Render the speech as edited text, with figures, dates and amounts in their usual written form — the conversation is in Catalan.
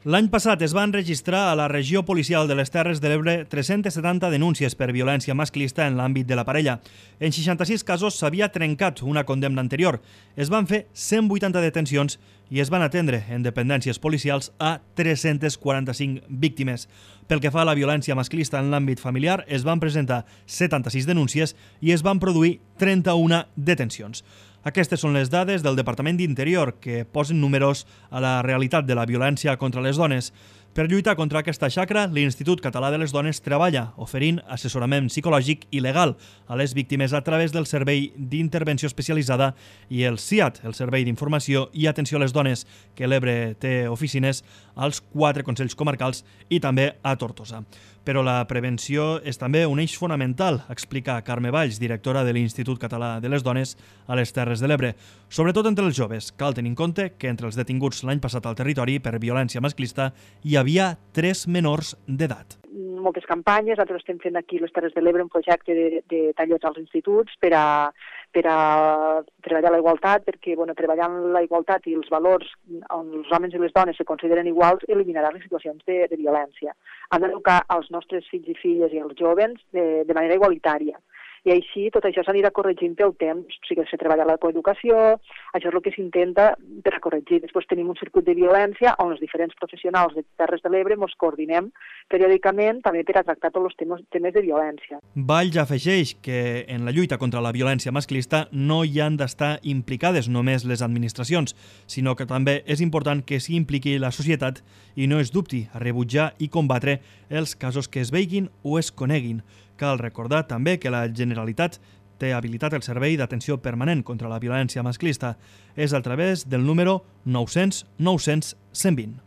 L'any passat es van registrar a la regió policial de les Terres de l'Ebre 370 denúncies per violència masclista en l'àmbit de la parella. En 66 casos s'havia trencat una condemna anterior. Es van fer 180 detencions i es van atendre en dependències policials a 345 víctimes. Pel que fa a la violència masclista en l'àmbit familiar, es van presentar 76 denúncies i es van produir 31 detencions. Aquestes són les dades del Departament d'Interior que posen números a la realitat de la violència contra les dones. Per lluitar contra aquesta xacra, l'Institut Català de les Dones treballa oferint assessorament psicològic i legal a les víctimes a través del Servei d'Intervenció Especialitzada i el SIAT, el Servei d'Informació i Atenció a les Dones, que l'Ebre té oficines als 4 consells comarcals i també a Tortosa. Però la prevenció és també un eix fonamental, explica Carme Valls, directora de l'Institut Català de les Dones a les Terres de l'Ebre. Sobretot entre els joves, cal tenir en compte que entre els detinguts l'any passat al territori per violència masclista hi havia 3 menors d'edat. Moltes campanyes, nosaltres estem fent aquí a les Terres de l'Ebre un projecte de tallers als instituts per a treballar la igualtat, perquè treballant la igualtat i els valors on els homes i les dones se consideren iguals eliminarà les situacions de violència. Han d'educar els nostres fills i filles i els jovens de manera igualitària. I així tot això s'anirà corregint pel temps, o sigui, se treballa la coeducació, això és el que s'intenta per a corregir. Després tenim un circuit de violència on els diferents professionals de Terres de l'Ebre ens coordinem periòdicament també per a tractar tots els temes de violència. Valls afegeix que en la lluita contra la violència masclista no hi han d'estar implicades només les administracions, sinó que també és important que s'hi impliqui la societat i no es dubti a rebutjar i combatre els casos que es veiguin o es coneguin. Cal recordar també que la Generalitat té habilitat el Servei d'Atenció Permanent contra la Violència Masclista. És a través del número 900 900 120.